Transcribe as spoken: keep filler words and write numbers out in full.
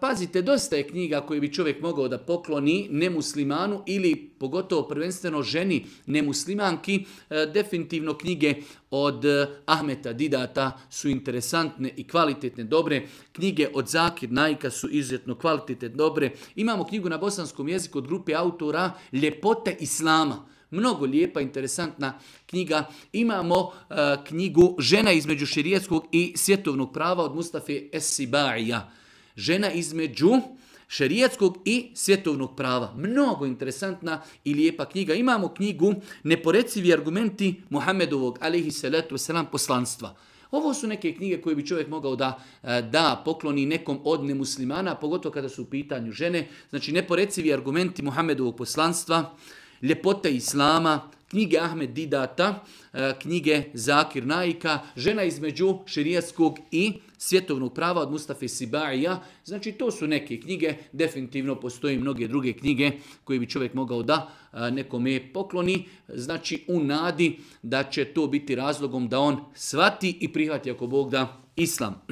Pazite, dosta je knjiga koje bi čovjek mogao da pokloni nemuslimanu ili pogotovo prvenstveno ženi nemuslimanki. Definitivno knjige od Ahmeta Didata su interesantne i kvalitetne, dobre. Knjige od Zakir Naika su izuzetno kvalitetne, dobre. Imamo knjigu na bosanskom jeziku od grupe autora Ljepote Islama. Mnogo lijepa, interesantna knjiga. Imamo uh, knjigu Žena između šerijetskog i svjetovnog prava od Mustafe Es-Sibaija. Žena između šerijetskog i svjetovnog prava. Mnogo interesantna i lijepa knjiga. Imamo knjigu Neporecivi argumenti Muhammedovog alejhi salatu vesselam poslanstva. Ovo su neke knjige koje bi čovjek mogao da da pokloni nekom od nemuslimana, pogotovo kada su u pitanju žene. Znači, Neporecivi argumenti Muhammedovog poslanstva, Ljepote Islama, knjige Ahmed Didata, knjige Zakir Naika, Žena između šerijatskog i svjetovnog prava od Mustafe Sibaija. Znači, to su neke knjige. Definitivno postoji mnoge druge knjige koje bi čovjek mogao da nekome pokloni. Znači, u nadi da će to biti razlogom da on shvati i prihvati, ako Bog da, islam.